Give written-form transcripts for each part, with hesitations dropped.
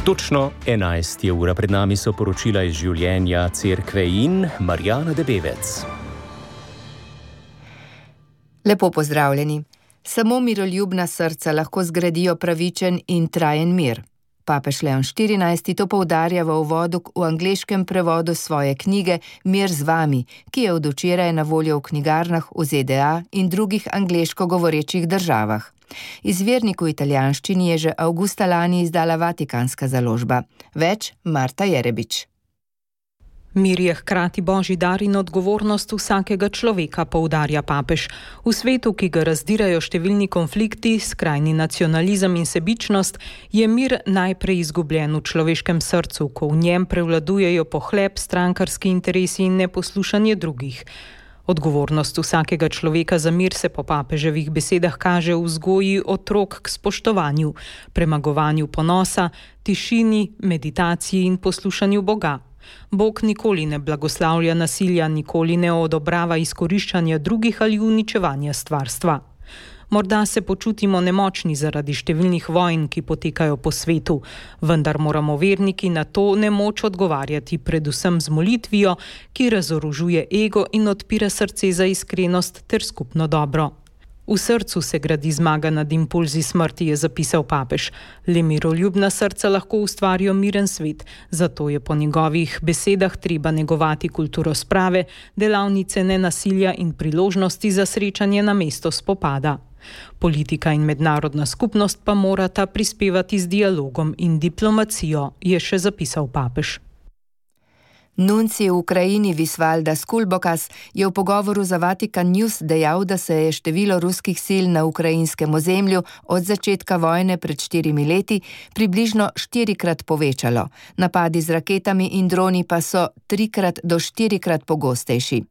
Točno 11 je ura, pred nami so poročila iz življenja Cerkve in Marjana Debevec. Lepo pozdravljeni. Samo miroljubna srca lahko zgradijo pravičen in trajen mir. Papež Leon XIV. To poudarja v uvodu v angleškem prevodu svoje knjige Mir z vami, ki je od včeraj na voljo v knjigarnah v ZDA in drugih angleško govorečih državah. Izvirnik v italijanščini je že avgusta lani izdala Vatikanska založba. Več Marta Jerebič. Mir je hkrati božji dar in odgovornost vsakega človeka, poudarja papež. V svetu, ki ga razdirajo številni konflikti, skrajni nacionalizem in sebičnost, je mir najprej izgubljen v človeškem srcu, ko v njem prevladujejo pohlep, strankarski interesi in neposlušanje drugih. Odgovornost vsakega človeka za mir se po papeževih besedah kaže v vzgoji otrok k spoštovanju, premagovanju ponosa, tišini, meditaciji in poslušanju Boga. Bog nikoli ne blagoslavlja nasilja, nikoli ne odobrava izkoriščanja drugih ali uničevanja stvarstva. Morda se počutimo nemočni zaradi številnih vojn, ki potekajo po svetu, vendar moramo verniki na to nemoč odgovarjati predvsem z molitvijo, ki razorožuje ego in odpira srce za iskrenost ter skupno dobro. V srcu se gradi zmaga nad impulzi smrti, je zapisal papež. Le miroljubna srca lahko ustvarijo miren svet, zato je po njegovih besedah treba negovati kulturo sprave, delavnice nenasilja in priložnosti za srečanje na mesto spopada. Politika in mednarodna skupnost pa morata prispevati z dialogom in diplomacijo, je še zapisal papež. Nuncij v Ukrajini Visvaldas Kulbokas je v pogovoru za Vatikan News dejal, da se je število ruskih sil na ukrajinskem ozemlju od začetka vojne pred 4 leti približno 4-krat povečalo. Napadi z raketami in droni pa so 3 do 4 pogostejši.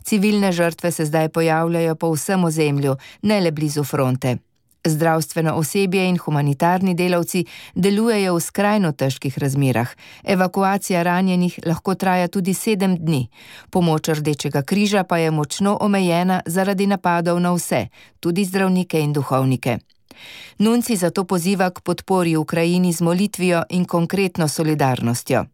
Civilne žrtve se zdaj pojavljajo po vsem ozemlju, ne le blizu fronte. Zdravstveno osebje in humanitarni delavci delujejo v skrajno težkih razmerah. Evakuacija ranjenih lahko traja tudi 7 dni. Pomoč Rdečega križa pa je močno omejena zaradi napadov na vse, tudi zdravnike in duhovnike. Nuncij zato poziva k podpori Ukrajini z molitvijo in konkretno solidarnostjo.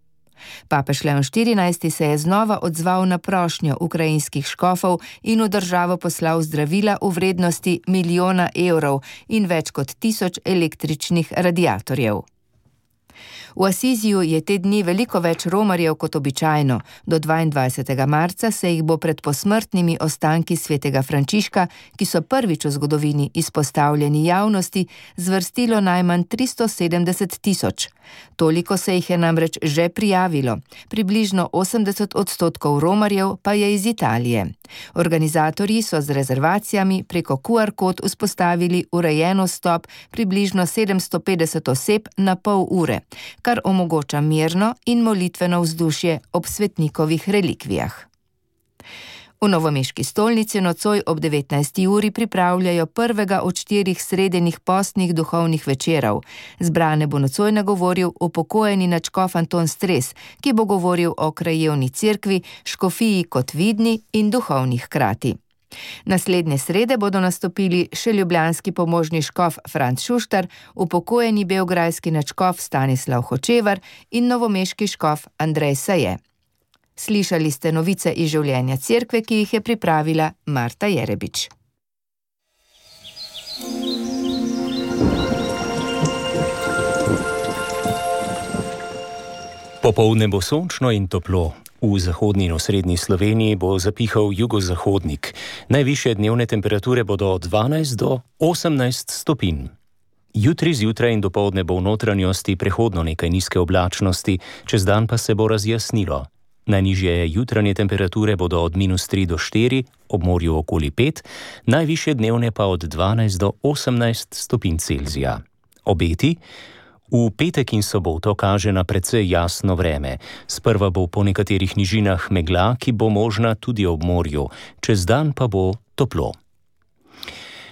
Papež Leon XIV. Se je znova odzval na prošnjo ukrajinskih škofov in v državo poslal zdravila v vrednosti 1 milijona evrov in več kot 1000 električnih radiatorjev. V Asiziju je te dni veliko več romarjev kot običajno. Do 22. marca se jih bo pred posmrtnimi ostanki svetega Frančiška, ki so prvič v zgodovini izpostavljeni javnosti, zvrstilo najmanj 370 000. Toliko se jih je namreč že prijavilo. Približno 80% romarjev pa je iz Italije. Organizatorji so z rezervacijami preko QR kod vzpostavili urejen vstop približno 750 oseb na pol ure, kar omogoča mirno in molitveno vzdušje ob svetnikovih relikvijah. V novomeški stolnici nocoj ob 19. uri pripravljajo prvega od 4 sredenih postnih duhovnih večerov. Zbrane bo nocoj nagovoril upokojeni nadškof Anton Stres, ki bo govoril o krajevni cerkvi, škofiji kot vidni in duhovni hkrati. Naslednje srede bodo nastopili še ljubljanski pomožni škof Franc Šuštar, upokojeni beograjski nadškof Stanislav Hočevar in novomeški škof Andrej Saje. Slišali ste novice iz življenja cerkve, ki jih je pripravila Marta Jerebič. Popoldne bo sončno in toplo. V zahodni in osrednji Sloveniji bo zapihal jugozahodnik. Najvišje dnevne temperature bodo od 12 do 18 stopinj. Jutri zjutraj in dopoldne bo v notranjosti prehodno nekaj nizke oblačnosti, čez dan pa se bo razjasnilo. Najnižje jutranje temperature bodo od -3 do 4, ob morju okoli 5, najvišje dnevne pa od 12 do 18 stopinj Celzija. Obeti? V petek in soboto kaže na precej jasno vreme. Sprva bo po nekaterih nižinah megla, ki bo možna tudi ob morju, čez dan pa bo toplo.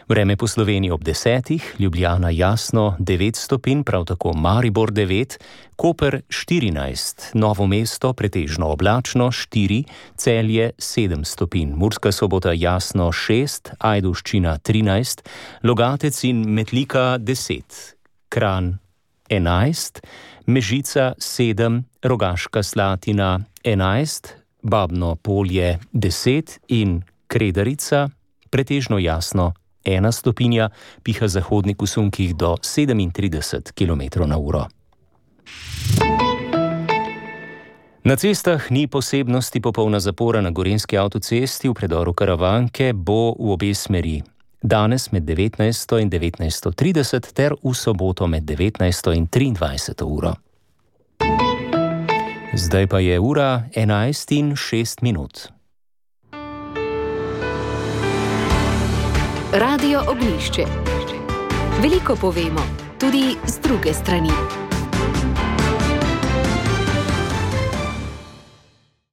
Vreme po Sloveniji ob 10, Ljubljana jasno 9 stopinj, prav tako Maribor 9, Koper 14, Novo mesto pretežno oblačno 4, Celje 7 stopinj, Murska Sobota jasno 6, Ajdovščina 13, Logatec in Metlika 10, Kranj 11, Mežica 7, Rogaška Slatina 11, Babno Polje 10 in Kredarica pretežno jasno 1 stopinja, piha zahodnik v sunkih do 37 km/h. Na cestah ni posebnosti, popolna zapora na gorenjski avtocesti v predoru Karavanke bo v obe smeri. Danes med 19. in 19.30 ter v soboto med 19. in 23. uro. Zdaj pa je ura 11:06. Radio Ognjišče. Veliko povemo, tudi z druge strani.